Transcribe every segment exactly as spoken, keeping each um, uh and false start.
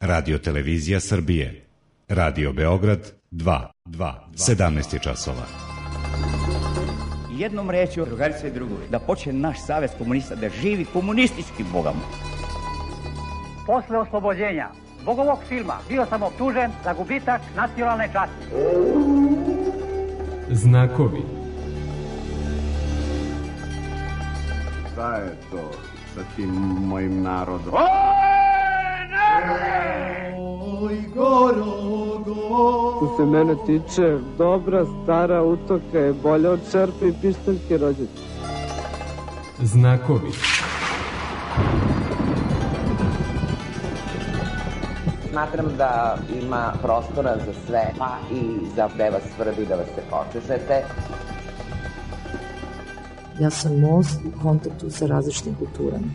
Radio Televizija Srbije. Radio Beograd dva, sedamnaest je časova. Jednom rečju, drugarice i drugovi, da počne naš savez komunista da živi komunistički bogom. Posle oslobođenja zbog ovog filma bio sam optužen za gubitak nacionalne časti. Znakovi. Šta je to sa tim mojim narodom? Oj, narode! Oj, gorogo! Što se mene tiče, dobra stara utoka je bolja od čerpe i pištaljke rođete. Znakovi. Smatram da ima prostora za sve, pa i za gde vas svrbi da vas se počešete. Ja sam most u kontaktu sa različitim kulturama.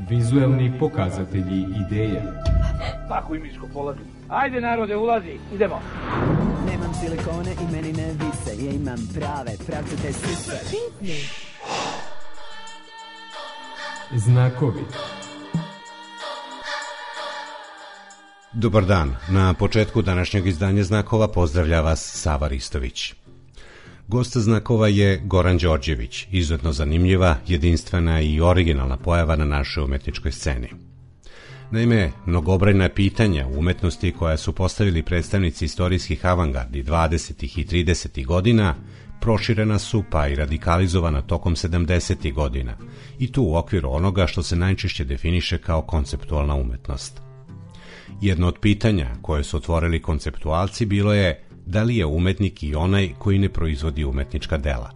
Vizuelni pokazatelji ideja. Tako i miško polazi. Ajde narode, ulazi, idemo. Nemam silikone i meni ne vise, ja imam prave, pravcate sise. Znakovi. Dobar dan. Na početku današnjeg izdanja Znakova pozdravlja vas Sava Ristović. Gost Znakova je Goran Đorđević, izuzetno zanimljiva, jedinstvena i originalna pojava na našoj umetničkoj sceni. Naime, mnogobrojna pitanja u umetnosti koja su postavili predstavnici istorijskih avangardi dvadesetih i tridesetih godina proširena su pa i radikalizovana tokom sedamdesetih godina i tu u okviru onoga što se najčešće definiše kao konceptualna umetnost. Jedno od pitanja koje su otvorili konceptualci bilo je da li je umetnik i onaj koji ne proizvodi umetnička dela.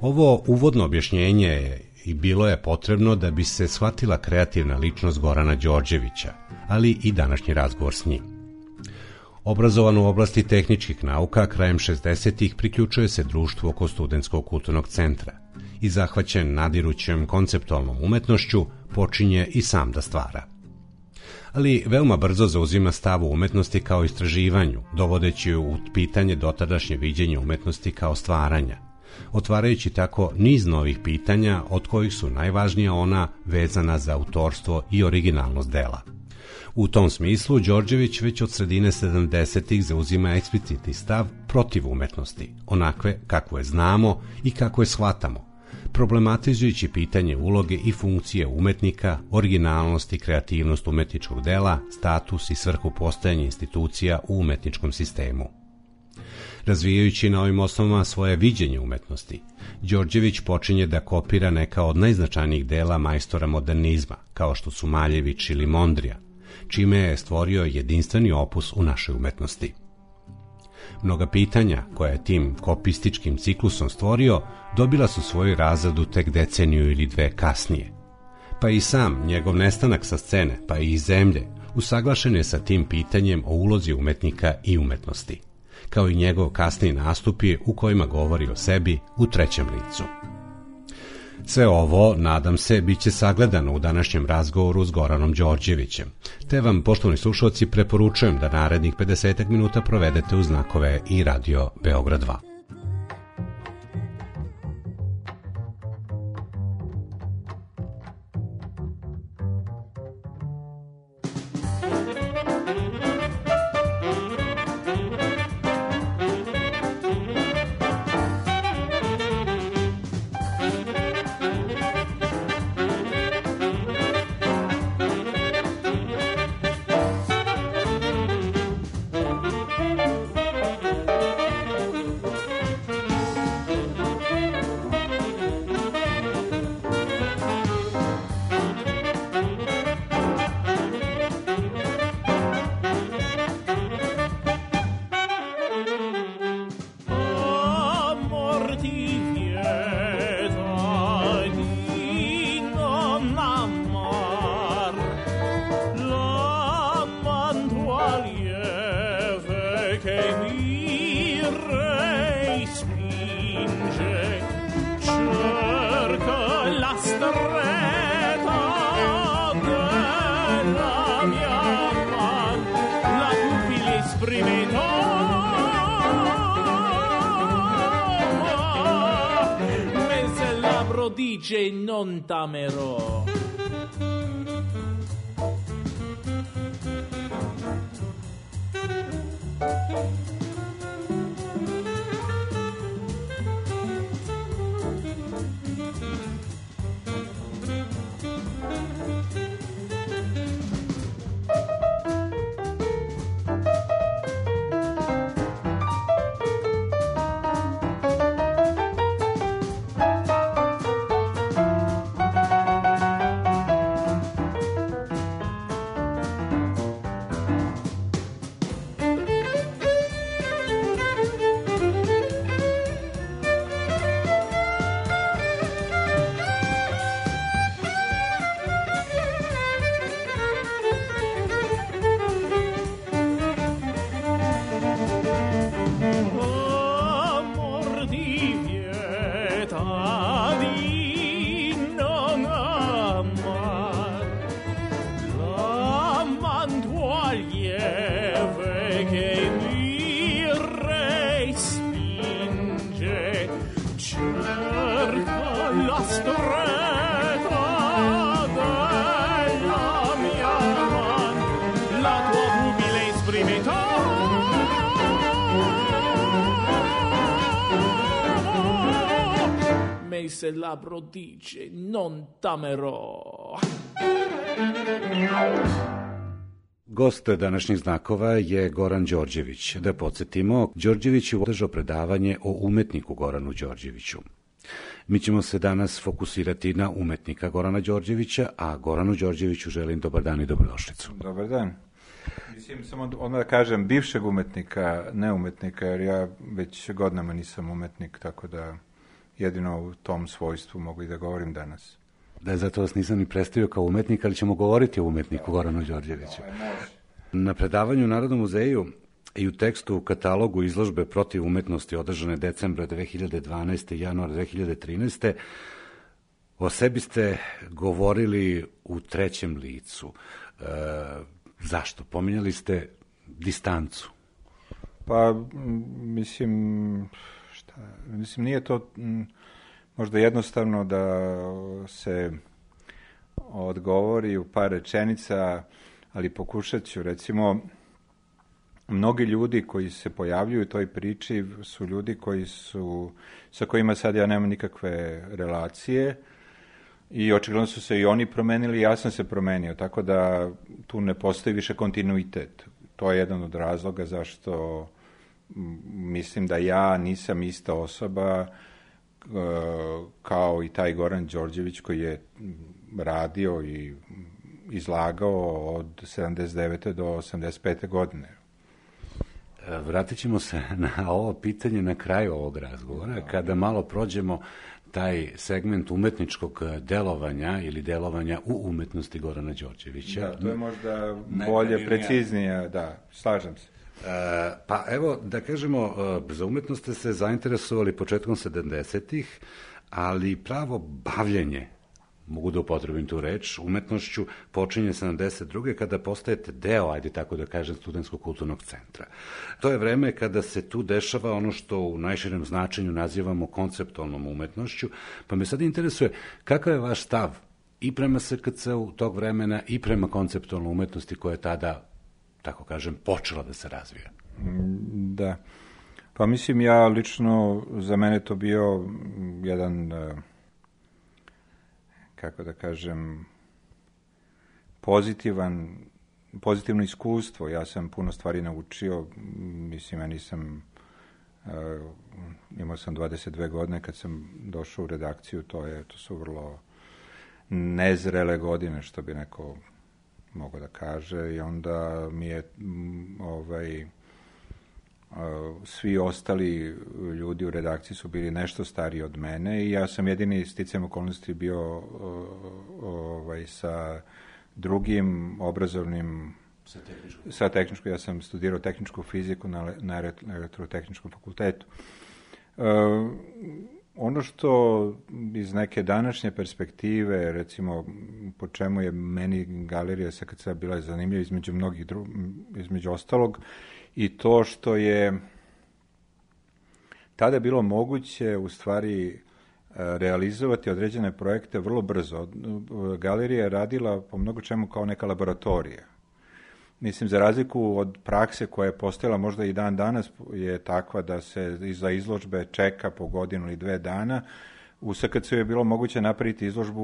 Ovo uvodno objašnjenje je i bilo je potrebno da bi se shvatila kreativna ličnost Gorana Đorđevića, ali i današnji razgovor s njim. Obrazovan u oblasti tehničkih nauka, krajem šezdesetih priključuje se društvu oko Studentskog kulturnog centra i zahvaćen nadirućem konceptualnom umetnošću počinje i sam da stvara. Ali veoma brzo zauzima stav u umetnosti kao istraživanju, dovodeći u pitanje dotadašnje viđenje umetnosti kao stvaranja, otvarajući tako niz novih pitanja od kojih su najvažnija ona vezana za autorstvo i originalnost dela. U tom smislu Đorđević već od sredine sedamdesetih zauzima eksplicitni stav protiv umetnosti, onakve kako je znamo i kako je shvatamo, problematizujući pitanje uloge i funkcije umetnika, originalnost i kreativnost umetničkog dela, status i svrhu postojanja institucija u umetničkom sistemu. Razvijajući na ovim osnovama svoje viđenje umetnosti, Đorđević počinje da kopira neka od najznačajnijih dela majstora modernizma, kao što su Maljević ili Mondrija, čime je stvorio jedinstveni opus u našoj umetnosti. Mnoga pitanja koja je tim kopističkim ciklusom stvorio dobila su svoju razradu tek deceniju ili dve kasnije. Pa i sam njegov nestanak sa scene, pa i iz zemlje, usaglašen je sa tim pitanjem o ulozi umetnika i umetnosti, kao i njegov kasniji nastupi u kojima govori o sebi u trećem licu. Sve ovo, nadam se, bit će sagledano u današnjem razgovoru s Goranom Đorđevićem, te vam, poštovani slušalci, preporučujem da narednih pedeset minuta provedete uz Znakove i Radio Beograd dva. l'esperimento. Me se l'abbro dice non t'amerò. Se l'abbro dice non t'amerò. Gost današnjih znakova je Goran Đorđević. Da podsjetimo, Đorđević je održao predavanje o umetniku Goranu Đorđeviću. Mi ćemo se danas fokusirati na umetnika Gorana Đorđevića, a Goranu Đorđeviću želim dobar dan i dobrodošlicu. Dobar dan. Mislim, samo odmah da kažem, bivšeg umetnika, ne umetnika, jer ja već godinama nisam umetnik, tako da jedino u tom svojstvu mogu i da govorim danas. Da, zato vas nisam ni predstavio kao umetnik, ali ćemo govoriti o umetniku Goranu Đorđeviću. Na predavanju u Narodnom muzeju i u tekstu u katalogu izložbe Protiv umetnosti održane decembra dve hiljade dvanaeste i januara dve hiljade trinaeste. o sebi ste govorili u trećem licu. E, zašto? Pominjali ste distancu. Pa, mislim... Mislim, nije to m, možda jednostavno da se odgovori u par rečenica, ali pokušat ću. Recimo, mnogi ljudi koji se pojavljuju u toj priči su ljudi koji su, sa kojima sad ja nemam nikakve relacije i očigledno su se i oni promenili, ja sam se promenio, tako da tu ne postoji više kontinuitet. To je jedan od razloga zašto mislim da ja nisam ista osoba kao i taj Goran Đorđević koji je radio i izlagao od sedamdeset devete do osamdeset pete godine. Vratit ćemo se na ovo pitanje na kraju ovog razgovora, kada malo prođemo taj segment umetničkog delovanja ili delovanja u umetnosti Gorana Đorđevića. Da, to je možda bolje, preciznije, da, slažem se. E, pa evo, da kažemo, za umetnost ste se zainteresovali početkom sedamdesetih, ali pravo bavljenje, mogu da upotrebim tu reč, umetnošću počinje sedamdeset druge kada postajete deo, ajde tako da kažem, Studentskog kulturnog centra. To je vreme kada se tu dešava ono što u najširem značenju nazivamo konceptualnom umetnošću, pa me sad interesuje kakav je vaš stav i prema S K C-u tog vremena i prema konceptualnoj umetnosti koja je tada, tako kažem, počela da se razvija. Da. Pa mislim, ja lično, za mene to bio jedan, kako da kažem, pozitivan, pozitivno iskustvo. Ja sam puno stvari naučio, mislim, ja nisam, imao sam dvadeset dve godine kad sam došao u redakciju, to je, to su vrlo nezrele godine, što bi neko mogu da kaže, i onda mi je ovaj, svi ostali ljudi u redakciji su bili nešto stariji od mene i ja sam jedini sticajem okolnosti bio ovaj, sa drugim obrazovnim sa tehničkom. sa tehničkom, ja sam studirao tehničku fiziku na, na elektrotehničkom fakultetu. Uh, Ono što iz neke današnje perspektive, recimo, po čemu je meni galerija S K C bila zanimljiva između mnogih dru... između ostalog, i to što je tada bilo moguće u stvari realizovati određene projekte vrlo brzo. Galerija je radila po mnogo čemu kao neka laboratorija. Mislim, za razliku od prakse koja je postojala možda i dan danas je takva da se za izložbe čeka po godinu ili dve dana, u S K C je bilo moguće napraviti izložbu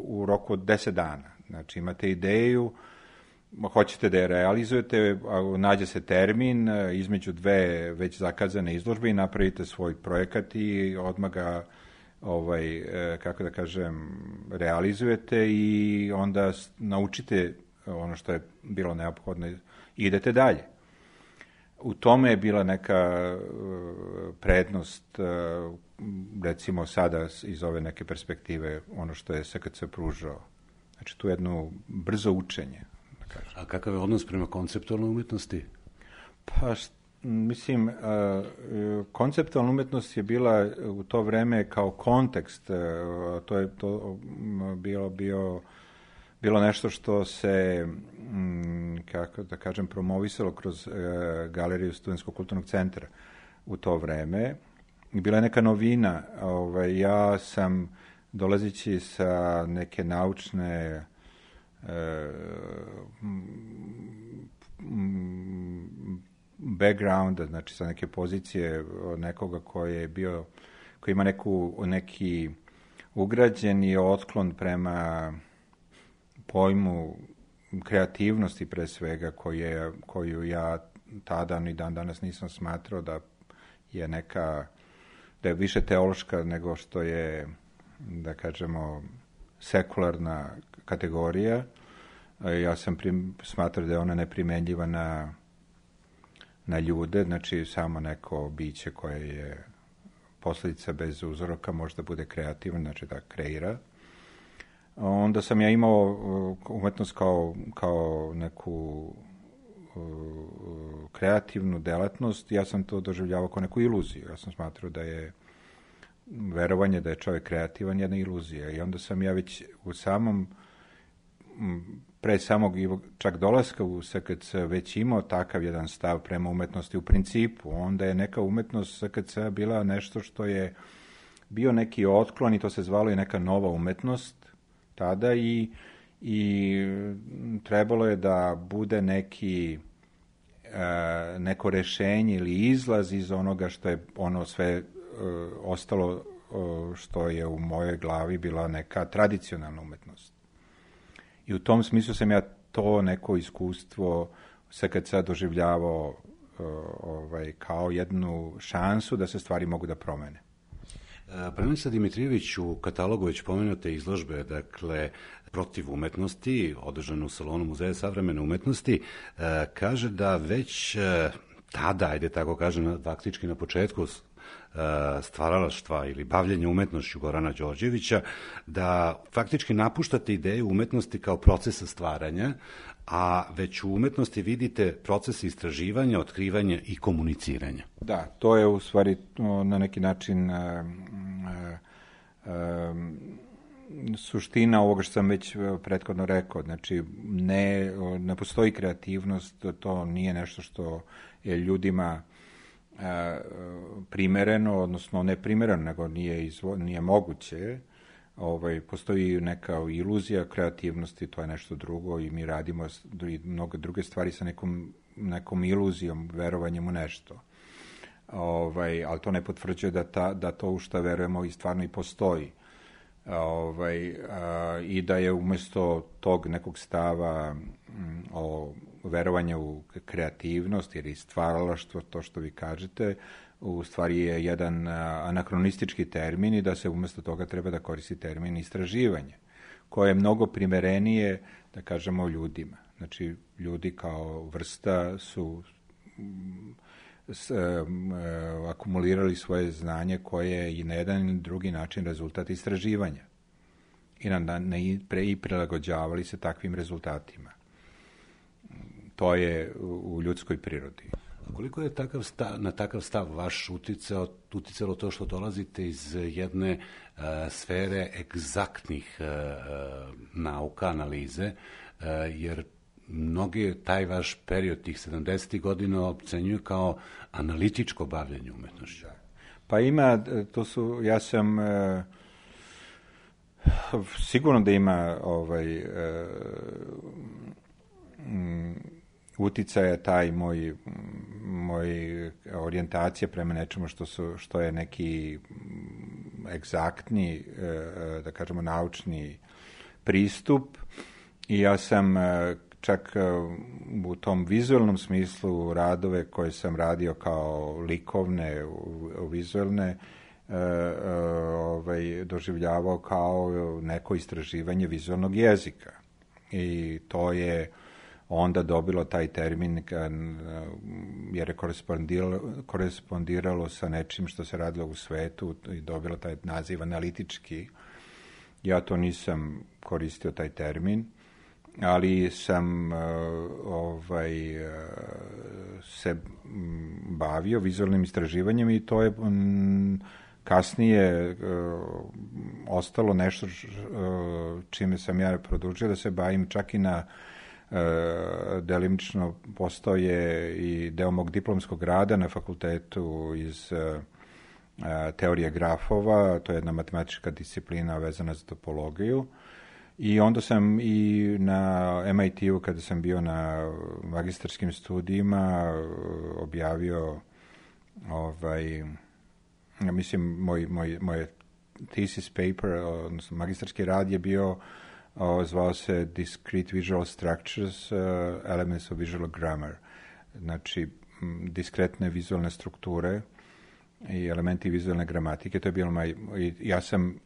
u roku od deset dana. Znači, imate ideju, hoćete da je realizujete, nađe se termin između dve već zakazane izložbe i napravite svoj projekat i odmah ga, ovaj, kako da kažem, realizujete i onda naučite ono što je bilo neophodno i idete dalje. U tome je bila neka prednost, recimo sada iz ove neke perspektive, ono što je S K C pružao. Znači, tu jedno brzo učenje. Da kažem. A kakav je odnos prema konceptualnoj umetnosti? Pa, mislim, konceptualna umetnost je bila u to vreme kao kontekst, to je to bilo, bio, bilo nešto što se, kako da kažem, promovisalo kroz galeriju Studentskog kulturnog centra u to vreme. Bila je neka novina. Ovaj, ja sam, dolazeći sa neke naučne backgrounda, znači sa neke pozicije nekoga koji je bio, koji ima neku, neki ugrađeni otklon prema pojmu kreativnosti pre svega, koje, koju ja tada ni dan danas nisam smatrao da je neka, da je više teološka nego što je, da kažemo, sekularna kategorija. Ja sam prim, smatrao da je ona neprimenljiva na, na ljude, znači samo neko biće koje je posljedica bez uzroka možda bude kreativno, znači da kreira. Onda sam ja imao umetnost kao, kao neku kreativnu delatnost, ja sam to doživljavao kao neku iluziju. Ja sam smatrao da je verovanje da je čovjek kreativan jedna iluzija. I onda sam ja već u samom, pre samog čak dolaska u S K C već imao takav jedan stav prema umetnosti u principu. Onda je neka umetnost S K C bila nešto što je bio neki otklon i to se zvalo i neka nova umetnost tada i, i trebalo je da bude neki e, neko rešenje ili izlaz iz onoga što je ono sve e, ostalo e, što je u mojoj glavi bila neka tradicionalna umetnost. I u tom smislu sam ja to neko iskustvo S K C doživljavao e, ovaj, kao jednu šansu da se stvari mogu da promene. Prenica Dimitrijević u katalogu već pomenute izložbe, dakle, protiv umetnosti, održanu u salonu Muzeja savremene umetnosti, kaže da već tada, ajde tako kažem, faktički na početku stvaralaštva ili bavljenja umetnošću Gorana Đorđevića, da faktički napuštate ideju umetnosti kao procesa stvaranja, a već u umetnosti vidite proces istraživanja, otkrivanja i komuniciranja. Da, to je u stvari na neki način uh, uh, suština ovoga što sam već prethodno rekao. Znači, ne, ne postoji kreativnost, to nije nešto što je ljudima uh, primereno, odnosno ne primereno, nego nije, izvo, nije moguće. Ovaj, postoji neka iluzija kreativnosti, to je nešto drugo i mi radimo i mnogo druge stvari sa nekom, nekom iluzijom, verovanjem u nešto. Ovaj, ali to ne potvrđuje da, ta, da to u što verujemo i stvarno i postoji. Ovaj, a, i da je umjesto tog nekog stava m, o verovanju u kreativnost ili stvaralaštvo, to što vi kažete, u stvari je jedan anakronistički termin i da se umjesto toga treba da koristi termin istraživanje, koje je mnogo primerenije, da kažemo, ljudima. Znači, ljudi kao vrsta su s, um, akumulirali svoje znanje koje je i na jedan ili drugi način rezultat istraživanja i, na, na, pre, i prilagođavali se takvim rezultatima. To je u, u ljudskoj prirodi. A koliko je takav stav, na takav stav vaš uticao, uticalo to što dolazite iz jedne uh, sfere egzaktnih uh, nauka, analize, uh, jer mnogi taj vaš period tih sedamdesetih godina ocenjuju kao analitičko bavljenje umetnošću. Pa ima, to su, ja sam e, sigurno da ima ovaj e, m, uticaja taj moj moj orijentacija prema nečemu što su što je neki egzaktni e, da kažemo naučni pristup i ja sam e, čak u tom vizualnom smislu radove koje sam radio kao likovne, vizualne, e, e, ovaj, doživljavao kao neko istraživanje vizualnog jezika. I to je onda dobilo taj termin jer je korespondiralo, korespondiralo sa nečim što se radilo u svetu i dobilo taj naziv analitički. Ja to nisam koristio taj termin, ali sam uh, ovaj, uh, se bavio vizualnim istraživanjem i to je um, kasnije uh, ostalo nešto uh, čime sam ja produžio da se bavim čak i na uh, delimično postoje i deo mog diplomskog rada na fakultetu iz uh, uh, teorije grafova, to je jedna matematička disciplina vezana za topologiju. I onda sam i na em i te-u, kada sam bio na magistarskim studijima, objavio ovaj, mislim, moj, moj, moj thesis paper, odnosno magistarski rad je bio, o, zvao se Discrete Visual Structures, uh, Elements of Visual Grammar. Znači, diskretne vizualne strukture i elementi vizualne gramatike. To je bilo moj, ja sam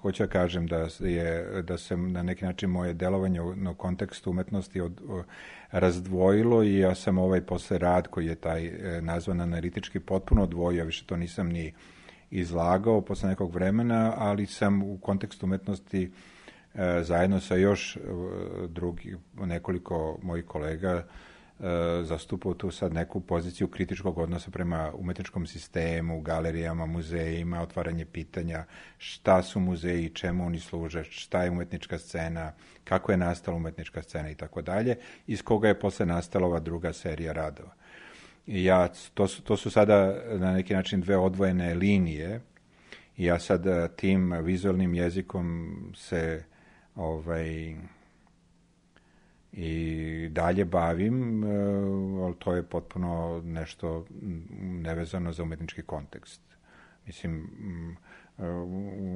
hoću da kažem da je da se na neki način moje delovanje u, u kontekstu umetnosti od, o, razdvojilo i ja sam ovaj posle rad koji je taj e, nazvan analitički potpuno odvojio, više to nisam ni izlagao posle nekog vremena, ali sam u kontekstu umetnosti e, zajedno sa još e, drugi, nekoliko mojih kolega zastupao tu sad neku poziciju kritičkog odnosa prema umetničkom sistemu, galerijama, muzejima, otvaranje pitanja šta su muzeji, čemu oni služe, šta je umetnička scena, kako je nastala umetnička scena i tako dalje, iz koga je posle nastala ova druga serija radova. I ja, to su, to su sada na neki način dve odvojene linije i ja sad tim vizualnim jezikom se ovaj i dalje bavim, ali to je potpuno nešto nevezano za umetnički kontekst. Mislim,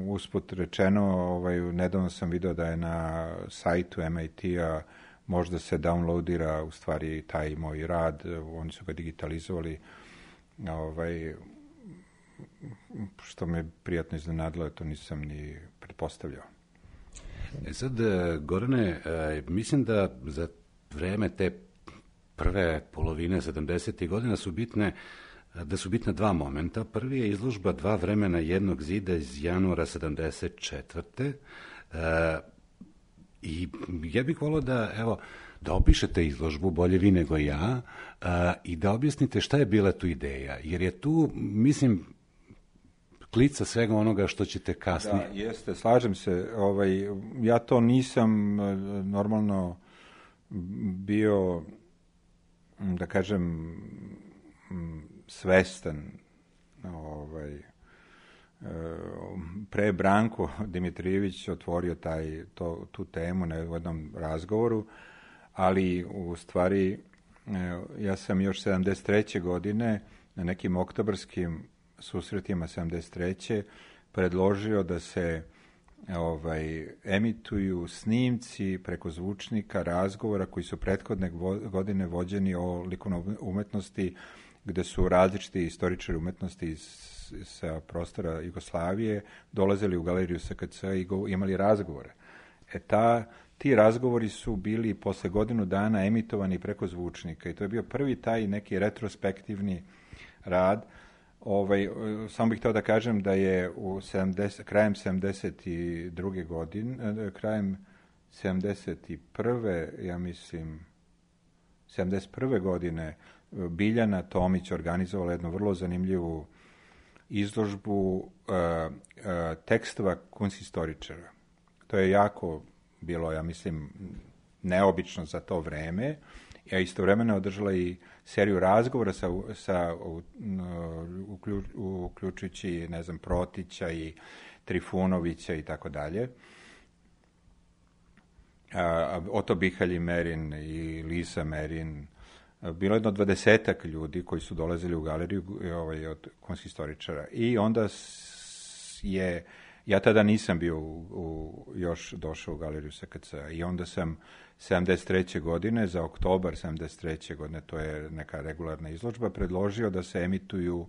usput rečeno, ovaj, nedavno sam video da je na sajtu em i te-a možda se downloadira u stvari taj moj rad, oni su ga digitalizovali, ovaj, što me prijatno iznenadilo, to nisam ni pretpostavljao. E sad, Gorane, mislim da za vreme te prve polovine sedamdesetih godina su bitne, da su bitna dva momenta. Prvi je izložba Dva vremena jednog zida iz januara sedamdeset četvrte. I ja bih volio da, evo, da opišete izložbu, bolje vi nego ja, i da objasnite šta je bila tu ideja. Jer je tu, mislim, klica svega onoga što ćete kasnije. Da, jeste, slažem se. Ovaj, ja to nisam normalno bio, da kažem, svestan. Ovaj, pre Branko Dimitrijević otvorio taj, to, tu temu na jednom razgovoru, ali u stvari ja sam još sedamdeset treće godine na nekim oktobarskim susretima sedamdeset treće predložio da se ovaj, emituju snimci preko zvučnika razgovora koji su prethodne godine vođeni o likovnoj umetnosti, gde su različiti istoričari umetnosti iz, sa prostora Jugoslavije dolazili u galeriju es ka ce i go, imali razgovore. E ta, ti razgovori su bili posle godinu dana emitovani preko zvučnika i to je bio prvi taj neki retrospektivni rad. Ovaj, samo bih htio da kažem da je u sedamdeset, krajem sedamdeset druge godine, krajem sedamdeset prve ja mislim, sedamdeset prve godine Biljana Tomić organizovala jednu vrlo zanimljivu izložbu uh, uh, tekstova kunsthistoričara. To je jako bilo, ja mislim, neobično za to vreme, a istovremeno održala i seriju razgovora sa, sa uključ, uključujući, ne znam, Protića i Trifunovića i tako dalje. Oto Bihalj Merin i Lisa Merin. Bilo je jedno dvadesetak ljudi koji su dolazili u galeriju ovaj, od konsistoričara. I onda je, ja tada nisam bio u, u, još došao u galeriju S K C. I onda sam sedamdeset treće godine, za oktobar sedamdeset treće godine, to je neka regularna izložba, predložio da se emituju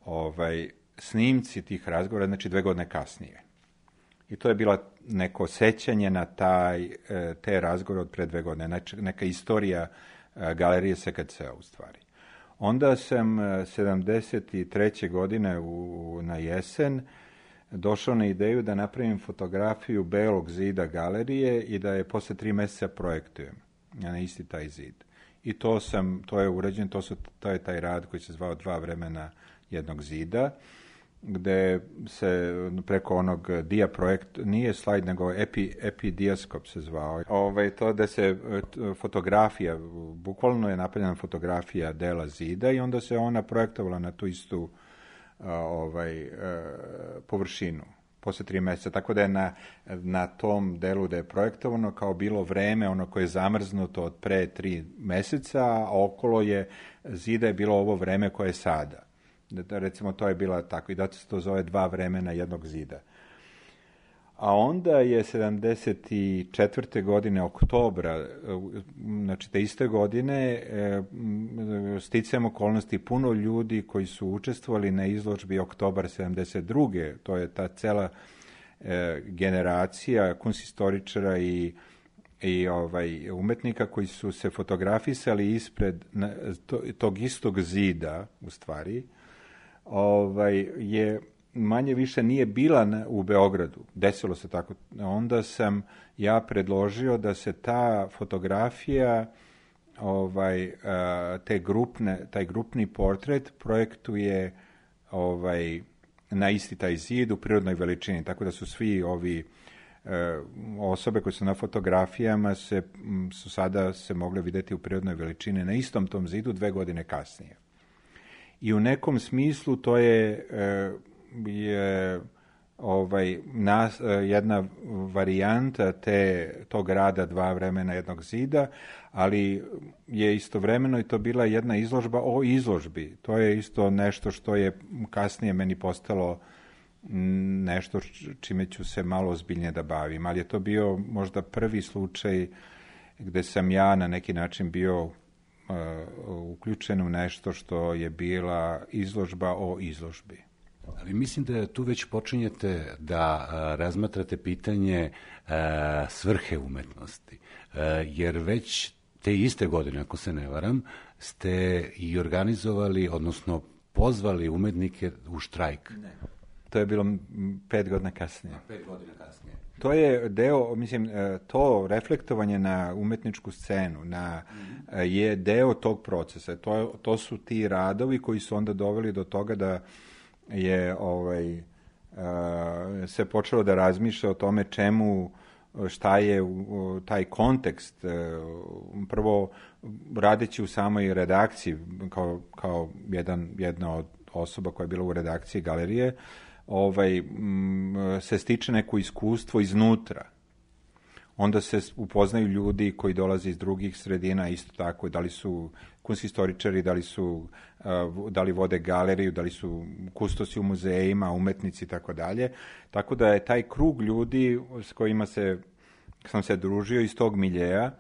ovaj, snimci tih razgovora, znači dve godine kasnije. I to je bila neko sećanje na taj, te razgovore od pre dve godine, znači neka istorija galerije S K C u stvari. Onda sam sedamdeset treće godine u, na jesen došao na ideju da napravim fotografiju belog zida galerije i da je posle tri meseca projektujem na isti taj zid. I to sam, to je urađeno, to, su, to je taj rad koji se zvao Dva vremena jednog zida, gde se preko onog dia projekt, nije slajd, nego epi, epidijaskop se zvao. Ove, to da se fotografija, bukvalno je napravljena fotografija dela zida i onda se ona projektovala na tu istu ovaj, površinu posle tri meseca. Tako da je na, na tom delu da je projektovano kao bilo vreme, ono koje je zamrznuto od pre tri meseca, a okolo je zida je bilo ovo vreme koje je sada. Da, recimo, to je bila tako i da se to zove Dva vremena jednog zida. A onda je sedamdeset četvrte godine, oktobra, znači te iste godine, sticajem okolnosti puno ljudi koji su učestvovali na izložbi Oktobar sedamdeset druge. To je ta cela e, generacija kunstistoričara i i ovaj umetnika koji su se fotografisali ispred na, to, tog istog zida, u stvari, ovaj, je manje više nije bila na, u Beogradu. Desilo se tako. Onda sam ja predložio da se ta fotografija, ovaj, te grupne, taj grupni portret projektuje ovaj, na isti taj zid u prirodnoj veličini. Tako da su svi ovi osobe koje su na fotografijama se, su sada se mogle vidjeti u prirodnoj veličini na istom tom zidu dve godine kasnije. I u nekom smislu to je, je ovaj, nas, jedna varijanta te, tog rada Dva vremena jednog zida, ali je istovremeno i to bila jedna izložba o izložbi. To je isto nešto što je kasnije meni postalo nešto čime ću se malo ozbiljnije da bavim, ali je to bio možda prvi slučaj gde sam ja na neki način bio uh, uključen u nešto što je bila izložba o izložbi. Ali mislim da tu već počinjete da uh, razmatrate pitanje uh, svrhe umetnosti, uh, jer već te iste godine, ako se ne varam, ste i organizovali, odnosno pozvali umetnike u štrajk. Ne. To je bilo pet godina kasnije. A, pet godina kasnije. To je deo, mislim, to reflektovanje na umetničku scenu na, mm-hmm. je deo tog procesa. To, to su ti radovi koji su onda doveli do toga da je ovaj, se počelo da razmišlja o tome čemu, šta je taj kontekst. Prvo, radeći u samoj redakciji, kao, kao jedan, jedna od osoba koja je bila u redakciji galerije, ovaj, m, se stiče neko iskustvo iznutra. Onda se upoznaju ljudi koji dolaze iz drugih sredina, isto tako, da li su kunstistoričari, da li su, uh, da li vode galeriju, da li su kustosi u muzejima, umetnici i tako dalje. Tako da je taj krug ljudi s kojima se, sam se družio iz tog miljeja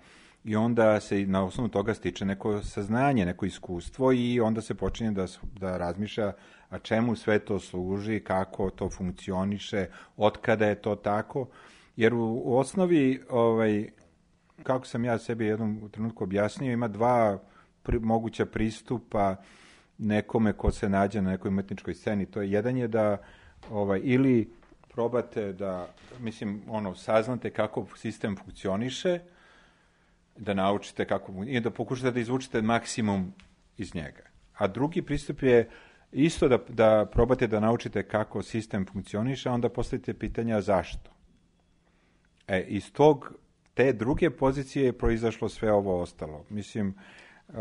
i onda se na osnovu toga stiče neko saznanje, neko iskustvo i onda se počinje da, da razmišlja a čemu sve to služi, kako to funkcioniše, otkada je to tako. Jer u, u osnovi, ovaj, kako sam ja sebi jednom trenutku objasnio, ima dva pri, moguća pristupa nekome ko se nađe na nekoj umetničkoj sceni. To je, jedan je da ovaj, ili probate da, mislim, ono, saznate kako sistem funkcioniše, da naučite kako, i da pokušate da izvučite maksimum iz njega. A drugi pristup je isto da, da probate da naučite kako sistem funkcioniše, a onda postavite pitanja zašto. E, iz tog te druge pozicije je proizašlo sve ovo ostalo. Mislim, uh,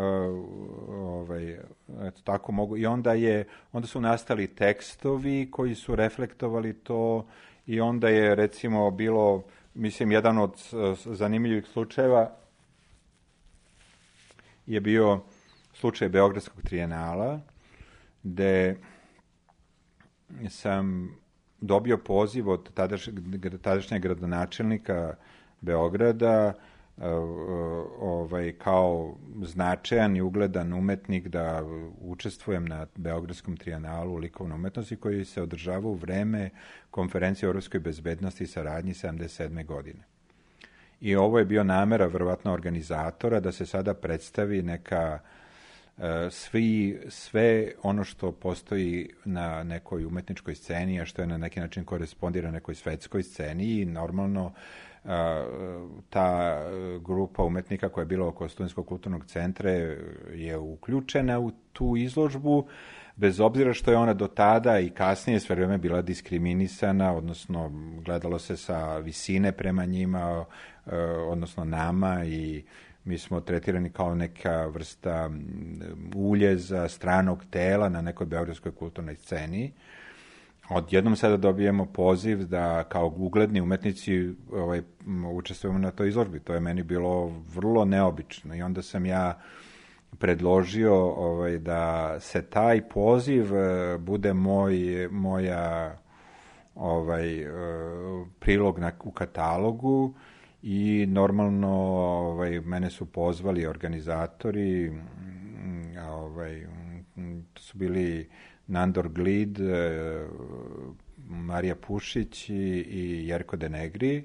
ovaj, eto, tako mogu. I onda, je, onda su nastali tekstovi koji su reflektovali to i onda je, recimo, bilo, mislim, jedan od uh, zanimljivih slučajeva je bio slučaj Beogradskog trijenala, gde sam dobio poziv od tadaš, tadašnjeg gradonačelnika Beograda ovaj, kao značajan i ugledan umetnik da učestvujem na Beogradskom trijenalu likovne umetnosti koji se održava u vreme konferencije o evropskoj bezbednosti i saradnji sedamdeset sedme godine. I ovo je bio namera verovatno organizatora da se sada predstavi neka svi, sve ono što postoji na nekoj umetničkoj sceni, a što je na neki način korespondira nekoj svetskoj sceni i normalno ta grupa umetnika koja je bila oko Studentskog kulturnog centra je uključena u tu izložbu, bez obzira što je ona do tada i kasnije sve vreme bila diskriminisana, odnosno gledalo se sa visine prema njima, odnosno nama, i mi smo tretirani kao neka vrsta uljeza, stranog tela na nekoj beogradskoj kulturnoj sceni. Odjednom sada dobijemo poziv da kao ugledni umetnici ovaj, učestvujemo na toj izložbi. To je meni bilo vrlo neobično i onda sam ja predložio ovaj, da se taj poziv bude moj, moja ovaj, prilog na, u katalogu. I normalno ovaj, mene su pozvali organizatori, ovaj, to su bili Nandor Glid, Marija Pušić i, i Jerko Denegri,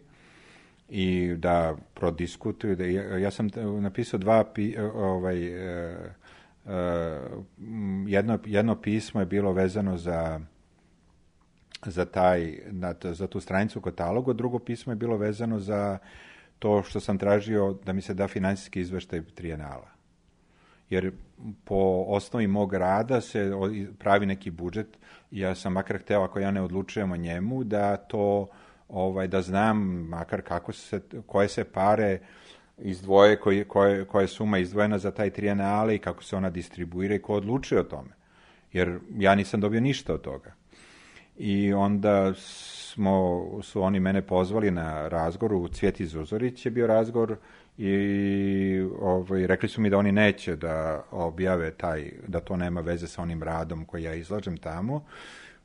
i da prodiskutuju. Da, ja, ja sam napisao dva, pi, ovaj, jedno, jedno pismo je bilo vezano za za, taj, za tu stranicu u katalogu, drugo pismo je bilo vezano za to što sam tražio da mi se da finansijski izveštaj trijenala. Jer po osnovi mog rada se pravi neki budžet i ja sam makar hteo, ako ja ne odlučujem o njemu, da to, ovaj, da znam makar kako se, koje se pare izdvoje, koje, koje, koja je suma izdvojena za taj trijenale i kako se ona distribuira i ko odlučuje o tome. Jer ja nisam dobio ništa od toga. I onda smo, su oni mene pozvali na razgovor, u Cvjeti Zuzorić je bio razgovor i ovaj, rekli su mi da oni neće da objave taj, da to nema veze sa onim radom koji ja izlažem tamo.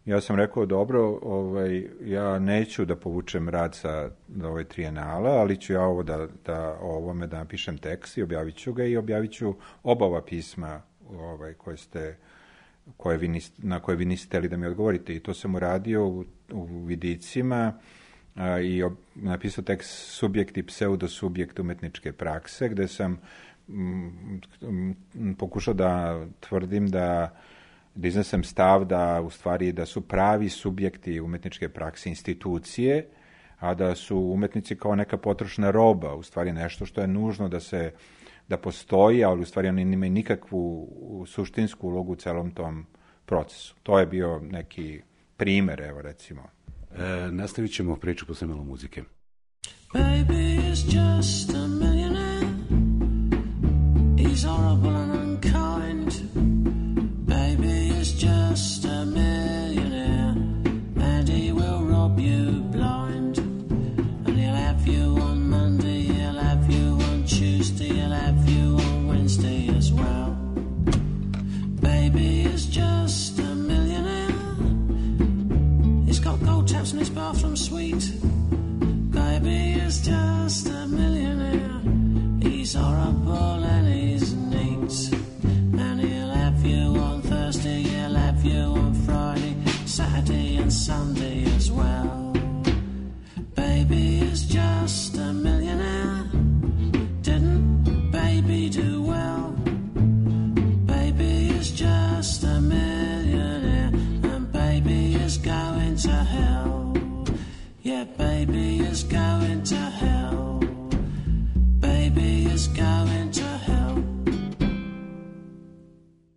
Ja sam rekao, dobro, ovaj, ja neću da povučem rad sa ovaj trijenala, ali ću ja ovo da, da o ovome da napišem tekst i objavit ću ga i objavit ću oba ova pisma ovaj, koje ste koje vi niste, na koje vi niste hteli da mi odgovorite. I to sam uradio u, u vidicima a, i ob, napisao tekst Subjekt i pseudosubjekt umetničke prakse, gde sam m, m, pokušao da tvrdim da, da iznesem stav da u stvari da su pravi subjekti umetničke prakse institucije, a da su umetnici kao neka potrošna roba, u stvari nešto što je nužno da se da postoji, ali u stvari oni nemaju nikakvu suštinsku ulogu u celom tom procesu. To je bio neki primer, evo recimo. E, nastavit ćemo priču posle malo muzike. Baby is just a millionaire. He's horrible and unkind. Baby is just a millionaire. And he will rob you blind. And he'll have you on Monday, he'll have you on Tuesday, he'll have you on Wednesday as well. Baby is just a millionaire. He's got gold taps in his bathroom suite. Baby is just a millionaire. He's horrible and he's neat. And he'll have you on Thursday, he'll have you on Friday, Saturday and Sunday as well. Baby is just a millionaire. Didn't baby do well? Baby is just a millionaire. And baby is going to hell. Yeah, baby is going to hell. Baby is going to hell.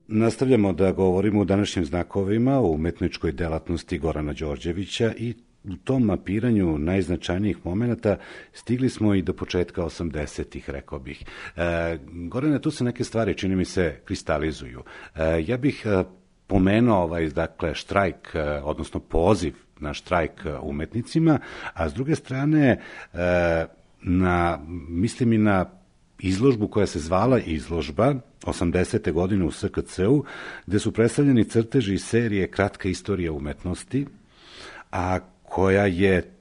Nastavljamo da govorimo o današnjim znakovima, o umetničkoj delatnosti Gorana Đorđevića i u tom mapiranju najznačajnijih momenata stigli smo i do početka osamdesetih, rekao bih. E, Gorane, tu se neke stvari, čini mi se, kristalizuju. E, ja bih e, pomenuo ovaj, dakle, štrajk, e, odnosno poziv na štrajk umetnicima, a s druge strane, e, na, mislim i na izložbu koja se zvala izložba osamdesete godine u S K C-u, gde su predstavljeni crteži iz serije Kratka istorija umetnosti, a koja je,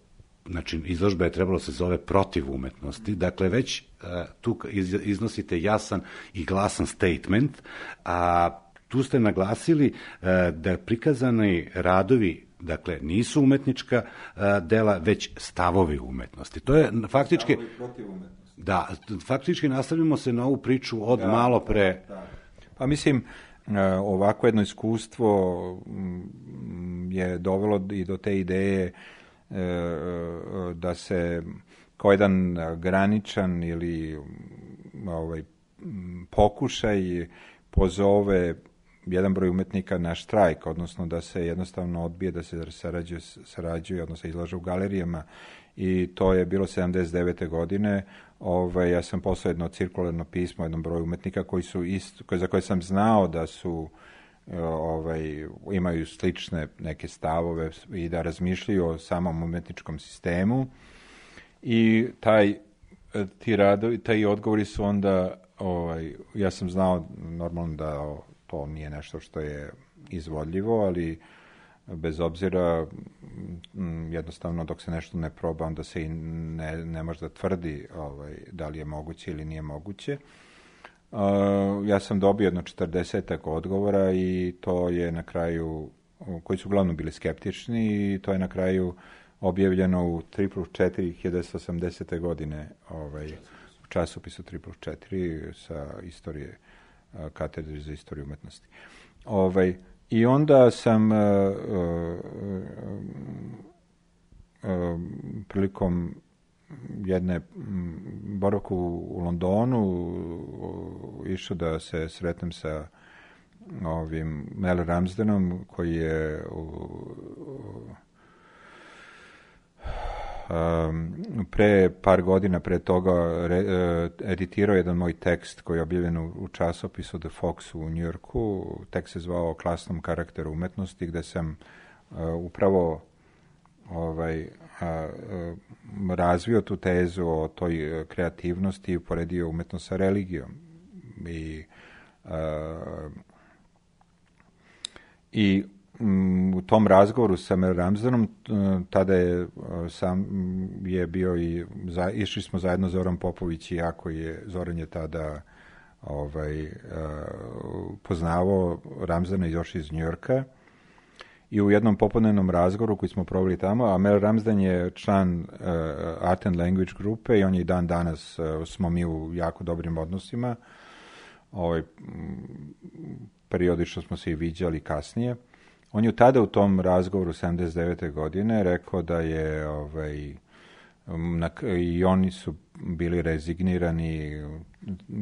znači izložba je trebalo se zove Protiv umetnosti, dakle već uh, tu iznosite jasan i glasan statement, a tu ste naglasili uh, da prikazani radovi, dakle, nisu umetnička uh, dela, već stavovi umetnosti. To je faktički... Stavovi protiv umetnosti. Da, faktički nastavljamo se na ovu priču od da, malo pre... Da. Pa mislim, ovako jedno iskustvo je dovelo i do te ideje da se kao jedan graničan ili ovaj, pokušaj pozove jedan broj umetnika na štrajk, odnosno da se jednostavno odbije da se sarađuje, sarađuje odnosno izlaže u galerijama, i to je bilo sedamdeset devete godine. Ovaj, ja sam poslao jedno cirkularno pismo jednom broju umetnika koji su isto, koji, za koje sam znao da su ovaj, imaju slične neke stavove i da razmišljaju o samom umetničkom sistemu, i taj ti radovi, taj odgovori su onda, ovaj, ja sam znao normalno da to nije nešto što je izvodljivo, ali bez obzira, jednostavno dok se nešto ne proba, onda se i ne, ne može da tvrdi ovaj, da li je moguće ili nije moguće. Uh, ja sam dobio jedno četrdesetak odgovora i to je na kraju, koji su uglavnom bili skeptični, i to je na kraju objavljeno u tri plus četiri hiljade devetsto osamdesete godine, ovaj, u časopisu tri plus četiri sa istorije, katedre za istoriju umetnosti. Ovaj, I onda sam uh, uh, uh, prilikom jedne boravku u Londonu uh, išao da se sretnem sa ovim Mel Ramsdenom, koji je uh, Um, pre par godina pre toga re, uh, editirao jedan moj tekst koji je objavljen u, u časopisu The Fox u Njujorku. Tekst se zvao o klasnom karakteru umetnosti, gde sam uh, upravo ovaj, uh, uh, razvio tu tezu o toj uh, kreativnosti i uporedio umetnost sa religijom. I, uh, i u tom razgovoru sa Mel Ramsdenom, tada je sam je bio i za, išli smo zajedno Zoran Popović i ja, koji je Zoran je tada ovaj poznavao Ramsdena još iz Njujorka, i u jednom popodnevnom razgovoru koji smo proveli tamo, a Mel Ramsden je član uh, Art and Language grupe i on je i dan danas, uh, smo mi u jako dobrim odnosima, ovaj, periodično smo se i viđali kasnije. On je tada u tom razgovoru sedamdeset devete godine rekao da je ovaj, na, i oni su bili rezignirani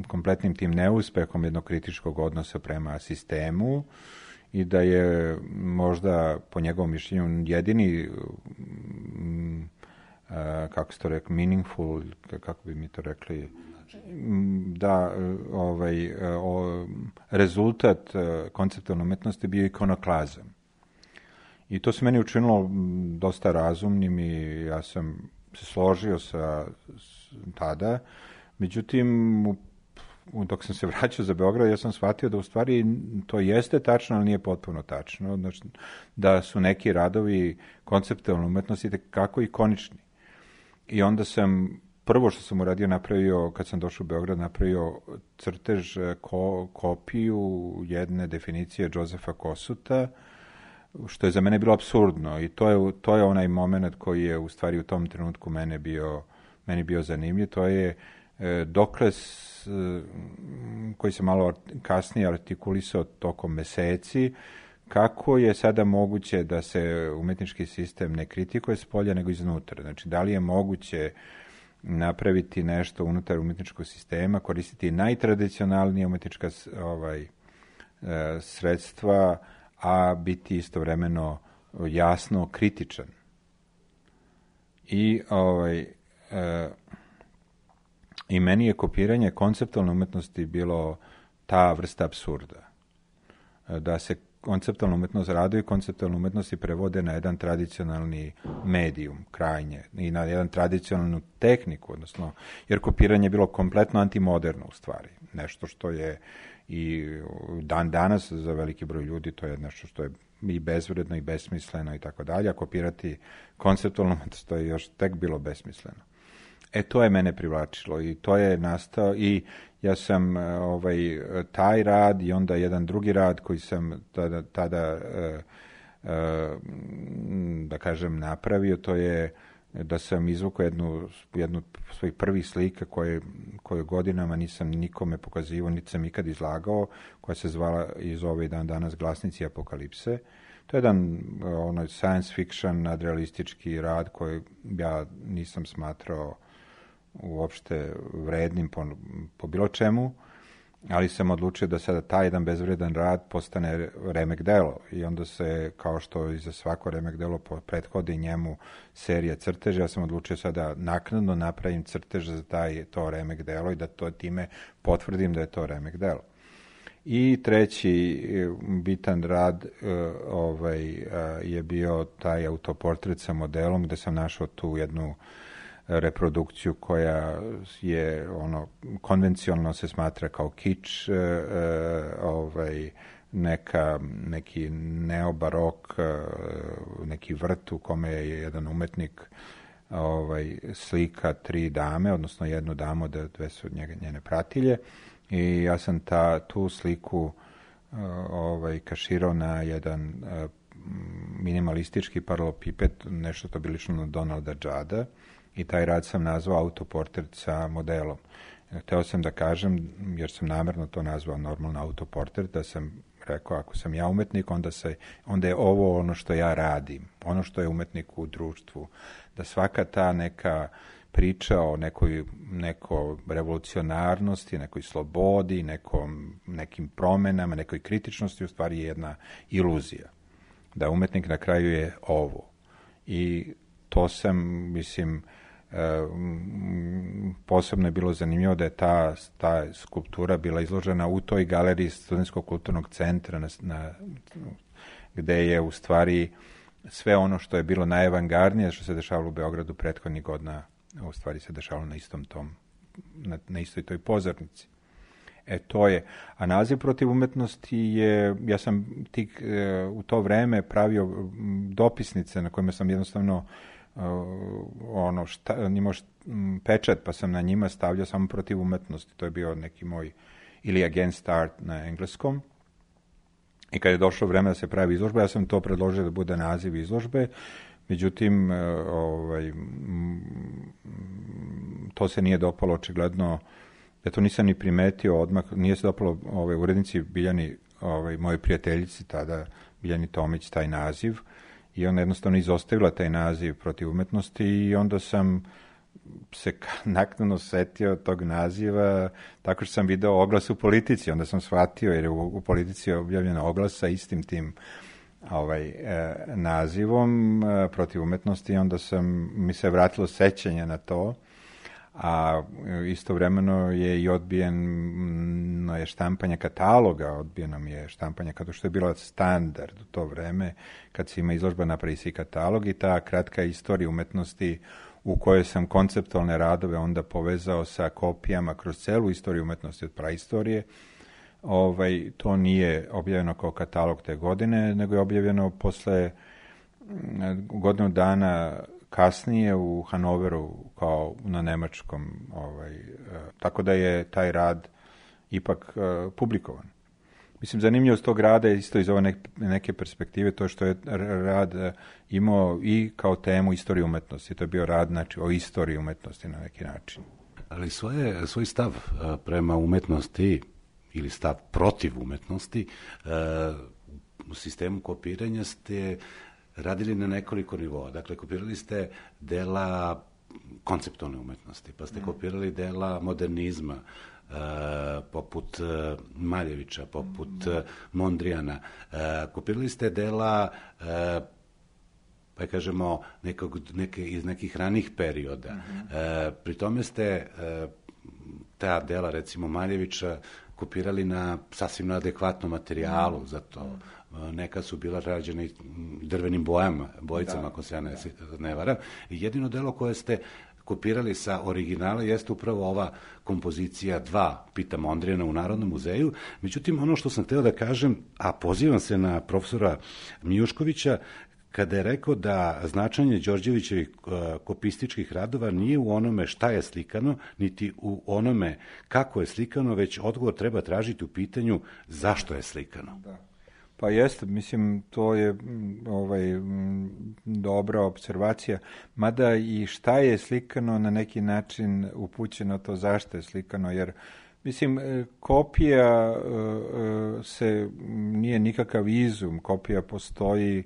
kompletnim tim neuspehom jednog kritičkog odnosa prema sistemu, i da je možda po njegovom mišljenju jedini m, a, kako ste to rekli, meaningful, kako bi mi to rekli, da ovaj, o, rezultat konceptualne umetnosti bio ikonoklazam. I to se meni učinilo dosta razumnim i ja sam se složio sa s, tada. Međutim, u, dok sam se vraćao za Beograd, ja sam shvatio da u stvari to jeste tačno, ali nije potpuno tačno. Znači, da su neki radovi konceptualne umetnosti kako ikonični. I onda sam, prvo što sam uradio, napravio, kad sam došao u Beograd, napravio crtež, ko, kopiju jedne definicije Josefa Kosuta, što je za mene bilo apsurdno, i to je, to je onaj moment koji je u stvari u tom trenutku mene bio, meni bio zanimljiv. To je e, dokle s, koji se malo kasnije artikulisao tokom meseci, kako je sada moguće da se umetnički sistem ne kritikuje s polja nego iznutra. Znači, da li je moguće napraviti nešto unutar umetničkog sistema, koristiti najtradicionalnije umetnička ovaj, e, sredstva, a biti istovremeno jasno kritičan. I, ovaj, e, i meni je kopiranje konceptualne umetnosti bilo ta vrsta apsurda. Da se konceptualna umetnost radi i konceptualne umetnosti prevode na jedan tradicionalni medijum, krajnje, i na jedan tradicionalnu tehniku, odnosno, jer kopiranje je bilo kompletno antimoderno u stvari. Nešto što je i dan danas za veliki broj ljudi, to je nešto što je i bezvredno i besmisleno i tako dalje, a kopirati konceptualno umetnost, to je još tek bilo besmisleno. E, to je mene privlačilo i to je nastao i ja sam ovaj, taj rad i onda jedan drugi rad koji sam tada, tada e, e, da kažem, napravio, to je da sam izvukao jednu, jednu svojih prvih slika koje, koje godinama nisam nikome pokazivao, niti sam ikad izlagao, koja se zvala i zove i dan danas Glasnici apokalipse. To je jedan ono, science fiction, nadrealistički rad koji ja nisam smatrao uopšte vrednim po, po bilo čemu, ali sam odlučio da sada taj jedan bezvredan rad postane remek delo i onda se, kao što i za svako remek delo prethodi njemu serija crteža, ja sam odlučio sada naknadno napravim crtež za taj, to remek delo i da to time potvrdim da je to remek delo. I treći bitan rad uh, ovaj, uh, je bio taj autoportret sa modelom gde sam našao tu jednu reprodukciju koja je ono konvencionalno se smatra kao kič, e, ovaj, neka, neki neobarok, e, neki vrt u kome je jedan umetnik ovaj, slika tri dame, odnosno jednu damu, da dve su njega, njene pratilje i ja sam ta, tu sliku e, ovaj, kaširao na jedan e, minimalistički paralelopiped, nešto to bi lično na Donalda Juda, i taj rad sam nazvao autoportret sa modelom. Hteo sam da kažem, jer sam namerno to nazvao normalno autoportret, da sam rekao, ako sam ja umetnik, onda, se, onda je ovo ono što ja radim, ono što je umetnik u društvu. Da svaka ta neka priča o nekoj, neko revolucionarnosti, nekoj slobodi, nekom, nekim promenama, nekoj kritičnosti, u stvari je jedna iluzija. Da umetnik na kraju je ovo. I to sam, mislim, posebno je bilo zanimljivo da je ta, ta skulptura bila izložena u toj galeriji Studentskog kulturnog centra na, na, gde je u stvari sve ono što je bilo najavangardnije što se dešavalo u Beogradu prethodnih godina u stvari se dešavalo na istom tom, na, na istoj toj pozornici. E, to je. A naziv protiv umetnosti je, ja sam tik e, u to vreme pravio dopisnice na kojima sam jednostavno Uh, ono šta, nimao št, m, pečat, pa sam na njima stavljao samo protiv umetnosti. To je bio neki moj, ili against art na engleskom. I kad je došlo vreme da se pravi izložba, ja sam to predložio da bude naziv izložbe. Međutim, uh, ovaj, m, to se nije dopalo očigledno, ja to nisam ni primetio odmah, nije se dopalo ovaj, urednici Biljani, ovaj, moje prijateljici tada, Biljani Tomić, taj naziv. I ona jednostavno izostavila taj naziv protiv umetnosti i onda sam se naknadno setio tog naziva tako što sam video oglas u Politici. Onda sam shvatio, jer je u, u Politici je objavljen oglas sa istim tim ovaj, e, nazivom e, protiv umetnosti i onda sam, mi se vratilo sećanje na to, a istovremeno je i odbijeno je štampanje kataloga, odbijeno mi je štampanje kao što je bilo standard u to vreme, kad se ima izložba napravi se i katalog i ta kratka istorija umetnosti u kojoj sam konceptualne radove onda povezao sa kopijama kroz celu istoriju umetnosti od praistorije. Ovaj, to nije objavljeno kao katalog te godine, nego je objavljeno posle godinu dana kasnije u Hanoveru kao na nemačkom, ovaj, tako da je taj rad ipak uh, publikovan. Mislim, zanimljivost tog rada je isto iz ove neke perspektive, to što je rad imao i kao temu istoriju umetnosti. To je bio rad, znači, o istoriji umetnosti na neki način. Ali svoje, svoj stav prema umetnosti ili stav protiv umetnosti u sistemu kopiranja ste radili na nekoliko nivoa. Dakle, kopirali ste dela konceptualne umetnosti, pa ste kopirali dela modernizma, Uh, poput uh, Maljevića, poput uh, Mondrijana. Uh, kopirali ste dela uh, pa kažemo nekog, neke, iz nekih ranih perioda. Mm-hmm. E, pri tome ste e, ta dela, recimo Maljevića, kopirali na sasvim na adekvatnom materijalu, mm-hmm. zato neka su bila rađena i drvenim bojama, bojicama, da, ako se ja ne, da. ne varam. I jedino delo koje ste kopirali sa originala jeste upravo ova kompozicija dva Pita Mondrijana u Narodnom muzeju. Međutim, ono što sam hteo da kažem, a pozivam se na profesora Mijuškovića, kada je rekao da značenje Đorđevićevih kopističkih radova nije u onome šta je slikano, niti u onome kako je slikano, već odgovor treba tražiti u pitanju zašto je slikano. Da. Pa jeste, mislim, to je ovaj, dobra observacija, mada i šta je slikano na neki način upućeno to zašto je slikano, jer mislim, kopija se nije nikakav izum, kopija postoji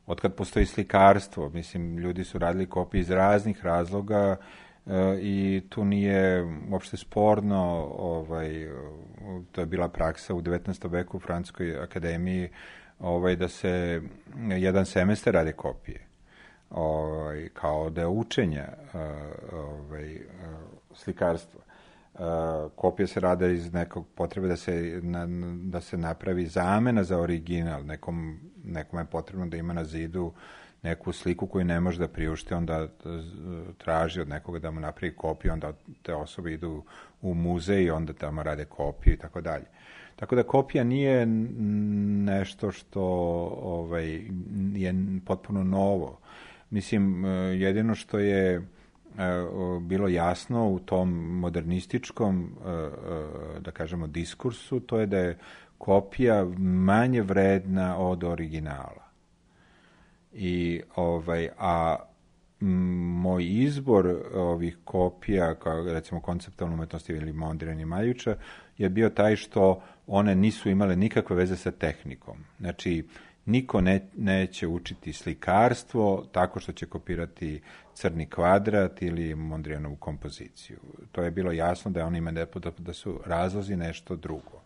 otkad postoji slikarstvo, mislim, ljudi su radili kopije iz raznih razloga i tu nije uopšte sporno, ovaj, to je bila praksa u devetnaestom veku u Francuskoj akademiji, ovaj, da se jedan semestar rade kopije, ovaj, kao da je učenja ovaj, slikarstva. Kopije se rade iz nekog potrebe da se, na, da se napravi zamena za original, nekom, nekom je potrebno da ima na zidu neku sliku koju ne može da priušti, onda traži od nekoga da mu napravi kopiju, onda te osobe idu u muzej i onda tamo rade kopiju i tako dalje. Tako da kopija nije nešto što ovaj, je potpuno novo. Mislim, jedino što je bilo jasno u tom modernističkom, da kažemo, diskursu, to je da je kopija manje vredna od originala. I ovaj, a moj izbor ovih kopija, kao recimo konceptualne umetnosti ili Mondrian i Maljevića, je bio taj što one nisu imale nikakve veze sa tehnikom. Znači, niko ne, neće učiti slikarstvo tako što će kopirati crni kvadrat ili Mondrianovu kompoziciju. To je bilo jasno da oni imaju da, da su razlozi nešto drugo.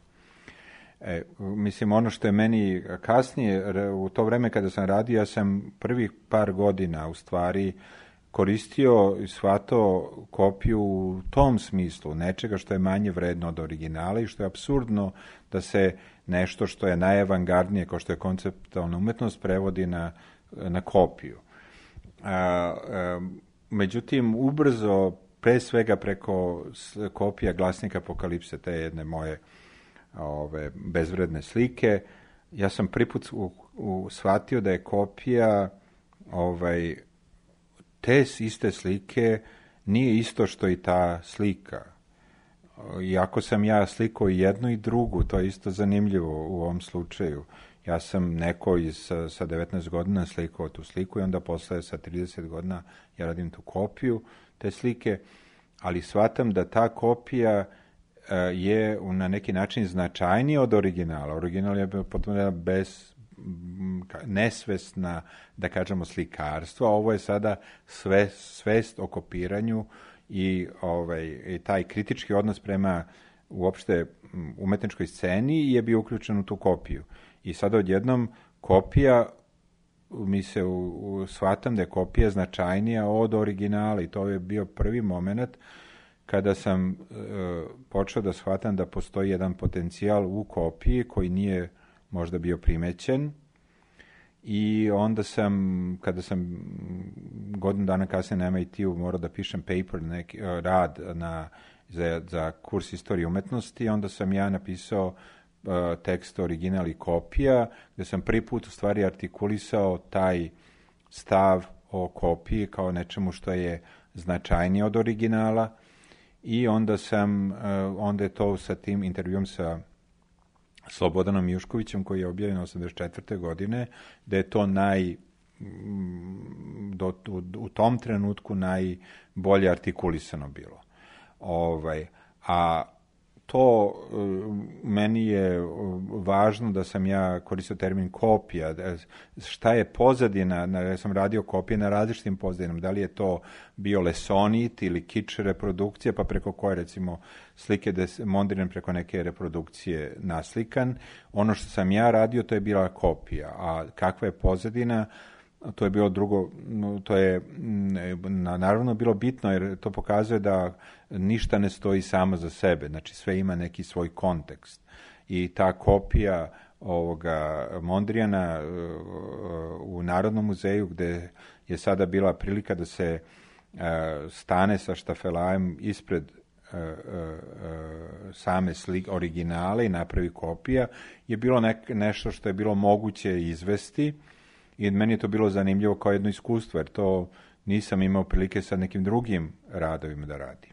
E, mislim, ono što je meni kasnije, u to vreme kada sam radio, ja sam prvih par godina u stvari koristio i shvatao kopiju u tom smislu, nečega što je manje vredno od originala i što je apsurdno da se nešto što je najavangardnije, kao što je konceptualna umetnost, prevodi na, na kopiju. A, a, međutim, ubrzo, pre svega preko kopija Glasnika Apokalipse, te jedne moje ove bezvredne slike, ja sam prvi put u, u, shvatio da je kopija ovaj, te iste slike nije isto što i ta slika. Iako sam ja slikao i jednu i drugu, to je isto zanimljivo u ovom slučaju. Ja sam neko iz, sa devetnaest godina slikao tu sliku i onda posle sa trideset godina ja radim tu kopiju te slike, ali shvatam da ta kopija je na neki način značajnija od originala. Original je potpuno bez nesvesna, da kažemo, slikarstvo, a ovo je sada sve, svest o kopiranju i, ovaj, i taj kritički odnos prema uopšte umetničkoj sceni je bio uključen u tu kopiju. I sada odjednom kopija, mi se u, u, shvatam da je kopija značajnija od originala i to je bio prvi moment kada sam e, počeo da shvatam da postoji jedan potencijal u kopiji koji nije možda bio primećen i onda sam, kada sam godinu dana kasnije na M I T-u morao da pišem paper, neki, rad na, za, za kurs istorije umetnosti, onda sam ja napisao uh, tekst original i kopija, gde sam prvi put u stvari artikulisao taj stav o kopiji kao nečemu što je značajnije od originala i onda sam, uh, onda je to sa tim intervjuom sa Slobodanom Mijuškovićem koji je objavljen osamdeset četvrte godine, da je to naj, do, u, u tom trenutku najbolje artikulisano bilo. Ovaj, a to meni je važno da sam ja koristio termin kopija, šta je pozadina, ja sam radio kopije na različitim pozadinama, da li je to bio lesonit ili kič reprodukcija, pa preko koje recimo slike Mondrian preko neke reprodukcije naslikan. Ono što sam ja radio, to je bila kopija, a kakva je pozadina, to je bilo drugo, to je naravno bilo bitno jer to pokazuje da ništa ne stoji samo za sebe, znači sve ima neki svoj kontekst. I ta kopija ovoga Mondrijana u Narodnom muzeju gde je sada bila prilika da se stane sa štafelajem ispred same slike, originale i napravi kopija, je bilo nek, nešto što je bilo moguće izvesti i meni je to bilo zanimljivo kao jedno iskustvo, jer to nisam imao prilike sa nekim drugim radovima da radim.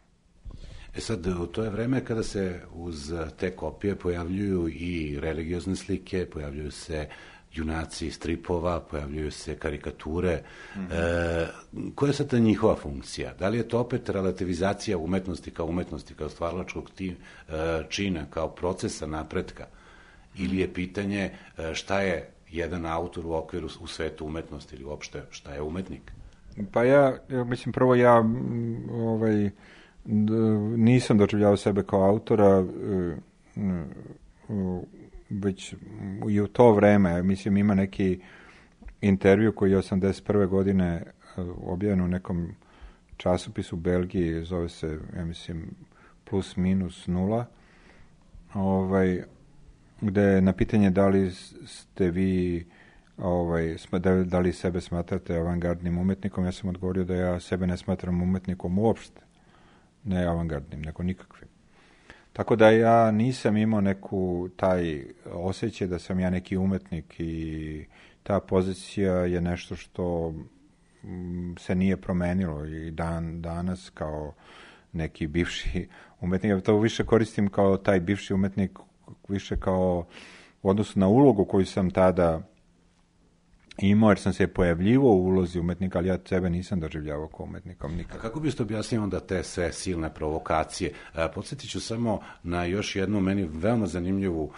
E sad, u to je vreme kada se uz te kopije pojavljuju i religiozne slike, pojavljuju se junaci stripova, pojavljuju se karikature. Mm-hmm. E, koja je sad ta njihova funkcija? Da li je to opet relativizacija umetnosti kao umetnosti, kao stvaralačkog ti, e, čina, kao procesa napretka? Ili je pitanje e, šta je jedan autor u okviru u svetu umetnosti ili uopšte šta je umetnik? Pa ja, ja mislim, prvo ja ovaj, nisam doživljavao sebe kao autora, već i u to vreme, mislim, ima neki intervju koji je osamdeset prve godine objavljen u nekom časopisu u Belgiji, zove se, ja mislim, plus minus nula, ovaj, gde na pitanje da li ste vi, ovaj, da, da li sebe smatrate avangardnim umetnikom, ja sam odgovorio da ja sebe ne smatram umetnikom uopšte, ne avangardnim, nego nikakvim. Tako da ja nisam imao neku taj osjećaj da sam ja neki umetnik i ta pozicija je nešto što se nije promenilo i dan danas kao neki bivši umetnik. Ja to više koristim kao taj bivši umetnik, više kao u odnosu na ulogu koju sam tada imao, jer sam se pojavljivao u ulozi umetnika, ali ja sebe nisam doživljavao kao umetnikom nikad. A kako biste objasnili onda te sve silne provokacije? Podsjetit ću samo na još jednu meni veoma zanimljivu, uh,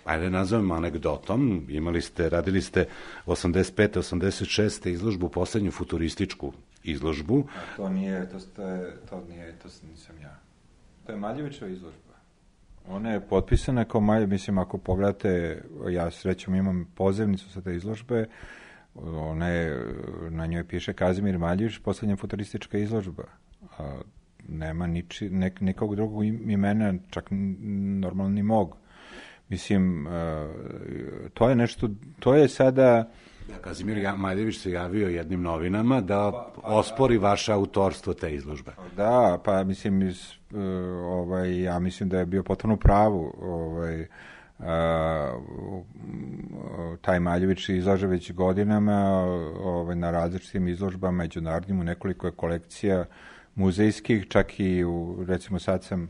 ajde nazovemo anegdotom. Imali ste, radili ste osamdeset pete osamdeset šeste izložbu, poslednju futurističku izložbu. A to nije, to, to, je, to nije, to nisam ja. To je Maljevićeva izložba. Ona je potpisana kao Malje, mislim, ako pogledate, ja srećom imam pozivnicu sa te izložbe, ona je, na njoj piše Kazimir Maljević, poslednja futuristička izložba. A, nema niči, nek, nekog drugog imena, čak normalno ni mog. Mislim, a, to je nešto, to je sada... Kazimir Maljević se javio jednim novinama da pa, pa, ospori vaše autorstvo te izložbe. Da, pa mislim, iz, uh, ovaj, ja mislim da je bio potpuno u pravu. Ovaj, uh, taj Maljević izlaže već godinama ovaj, na različitim izložbama, međunarodnim, u nekoliko kolekcija muzejskih, čak i u, recimo sad sam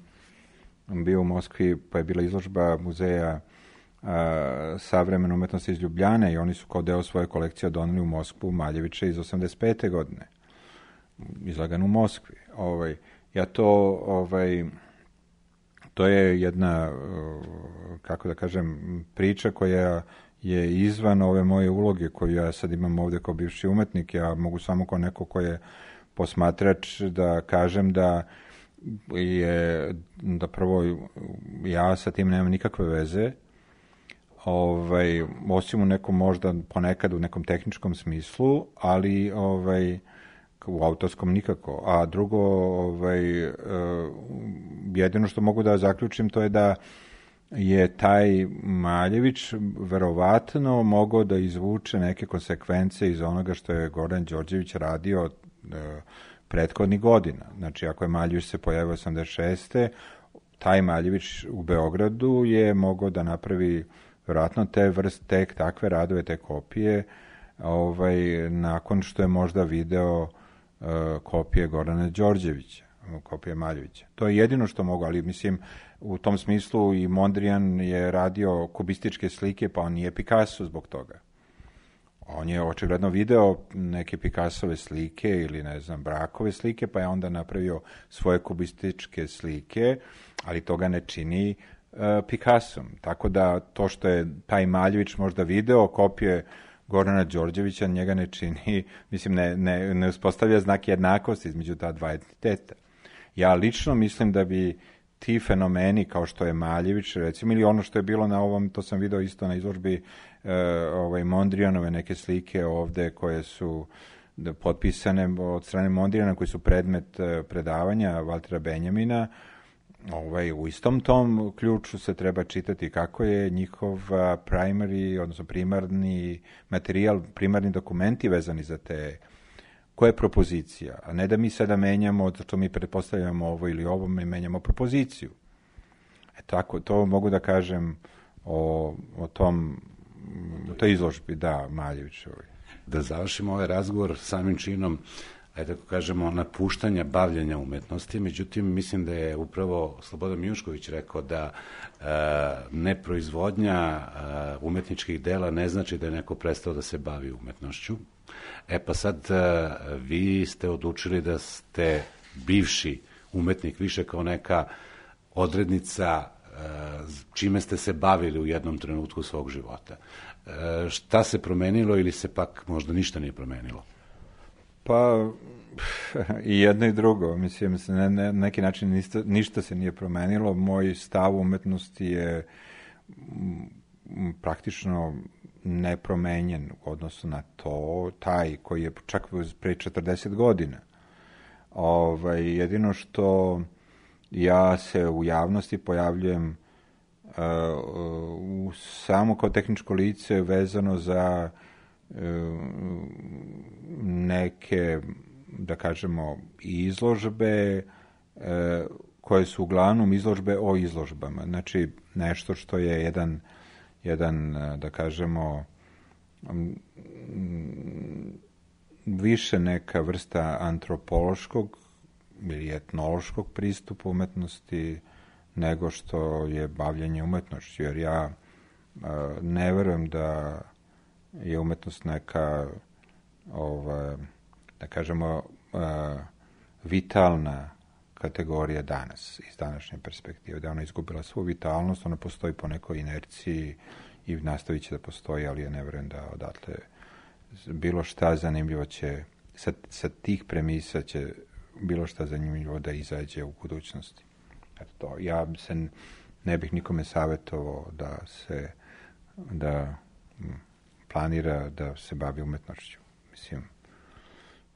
bio u Moskvi, pa je bila izložba muzeja a, savremene umetnosti iz Ljubljane i oni su kao deo svoje kolekcije doneli u Moskvu Maljevića iz osamdeset pete godine. Izlagan u Moskvi. Ovaj, ja to, ovaj, to je jedna, kako da kažem, priča koja je izvan ove moje uloge koju ja sad imam ovde kao bivši umetnik. Ja mogu samo kao neko ko je posmatrač da kažem da je, da prvo ja sa tim nemam nikakve veze, ovaj, osim u nekom možda ponekad u nekom tehničkom smislu, ali ovaj, u autorskom nikako. A drugo, ovaj, jedino što mogu da zaključim to je da je taj Maljević verovatno mogao da izvuče neke konsekvence iz onoga što je Goran Đorđević radio prethodnih godina. Znači, ako je Maljević se pojavio osamdeset šeste taj Maljević u Beogradu je mogao da napravi verovatno te vrste, tek takve radove, te kopije, ovaj, nakon što je možda video uh, kopije Gorana Đorđevića, kopije Maljevića. To je jedino što mogu, ali mislim, u tom smislu i Mondrian je radio kubističke slike, pa on nije Picasso zbog toga. On je očigledno video neke Picassove slike ili, ne znam, Brakove slike, pa je onda napravio svoje kubističke slike, ali toga ne čini uh, Picassom. Tako da to što je taj Maljević možda video kopije Gorana Đorđevića, njega ne čini, mislim, ne, ne, ne uspostavlja znak jednakosti između ta dva entiteta. Ja lično mislim da bi ti fenomeni kao što je Maljević, recimo, ili ono što je bilo na ovom, to sam video isto na izložbi ovaj, Mondrijanove neke slike ovde koje su da, potpisane od strane Mondrijana, koji su predmet uh, predavanja Valtera Benjamina. Ovaj, u istom tom ključu se treba čitati kako je njihov primary, odnosno primarni materijal, primarni dokumenti vezani za te, koja je propozicija, a ne da mi sada menjamo, zato mi pretpostavljamo ovo ili ovo, mi menjamo propoziciju. E tako, to mogu da kažem o, o tom, o toj izložbi, da, Maljevićevoj. Da završimo ovaj razgovor samim činom, ajde tako kažemo, napuštanja bavljenja umetnosti, međutim, mislim da je upravo Slobodan Mijušković rekao da e, neproizvodnja e, umetničkih dela ne znači da je neko prestao da se bavi umetnošću. E pa sad, e, vi ste odlučili da ste bivši umetnik više kao neka odrednica e, čime ste se bavili u jednom trenutku svog života. E, šta se promenilo ili se pak možda ništa nije promenilo? Pa, i jedno i drugo. Mislim, na ne, neki način ništa, ništa se nije promenilo. Moj stav umetnosti je m, praktično nepromenjen u odnosu na to, taj koji je čak pre četrdeset godina. Ovaj, jedino što ja se u javnosti pojavljujem uh, uh, samo kao tehničko lice vezano za neke, da kažemo, izložbe koje su uglavnom izložbe o izložbama. Znači, nešto što je jedan, jedan da kažemo, više neka vrsta antropološkog ili etnološkog pristupa umetnosti nego što je bavljanje umetnošću. Jer ja ne verujem da je umetnost neka, ova, da kažemo, uh, vitalna kategorija danas, iz današnje perspektive. Da je ona izgubila svu vitalnost, ona postoji po nekoj inerciji i nastavit će da postoji, ali ja ne verujem da odatle bilo šta zanimljivo će, sa, sa tih premisa će bilo šta zanimljivo da izađe u budućnosti. Eto to. Ja se ne bih nikome savjetovao da se, da planira da se bavi umetnošću. Mislim,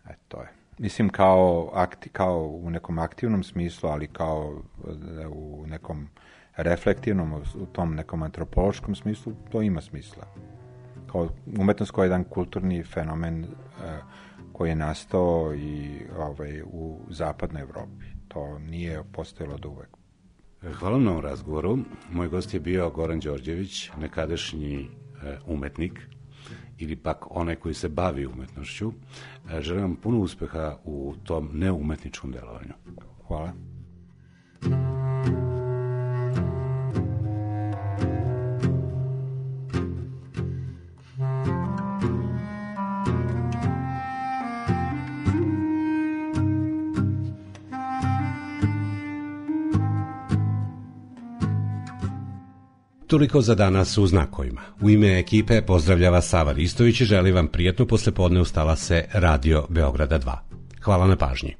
eto, to je. Mislim, kao, akti, kao u nekom aktivnom smislu, ali kao u nekom reflektivnom, u tom nekom antropološkom smislu, to ima smisla. Kao umetnost koja je jedan kulturni fenomen uh, koji je nastao i ovaj, u zapadnoj Evropi. To nije postojalo od uvek. Hvala na ovom razgovoru. Moj gost je bio Goran Đorđević, nekadašnji uh, umetnik, ili pak onaj koji se bavi umetnošću. Želim vam puno uspeha u tom neumetničkom delovanju. Hvala. Toliko za danas u znakovima. U ime ekipe pozdravljava Sava Ristović i želi vam prijatno poslepodne uz talase Radio Beograda dva. Hvala na pažnji.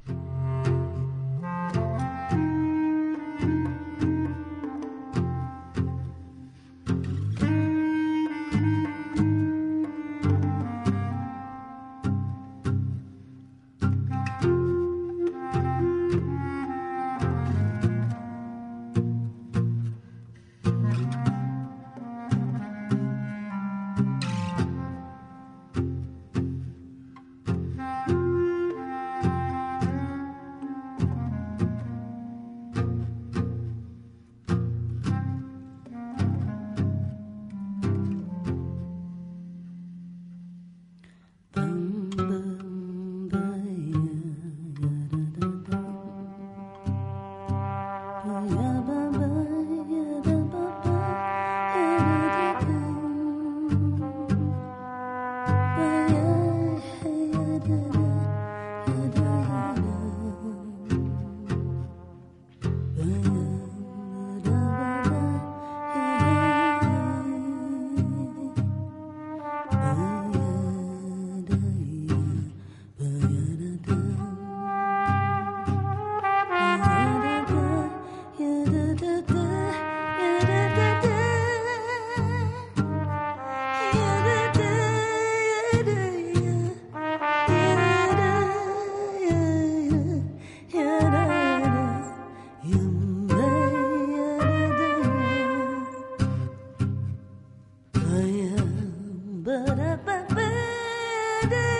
ba ba ba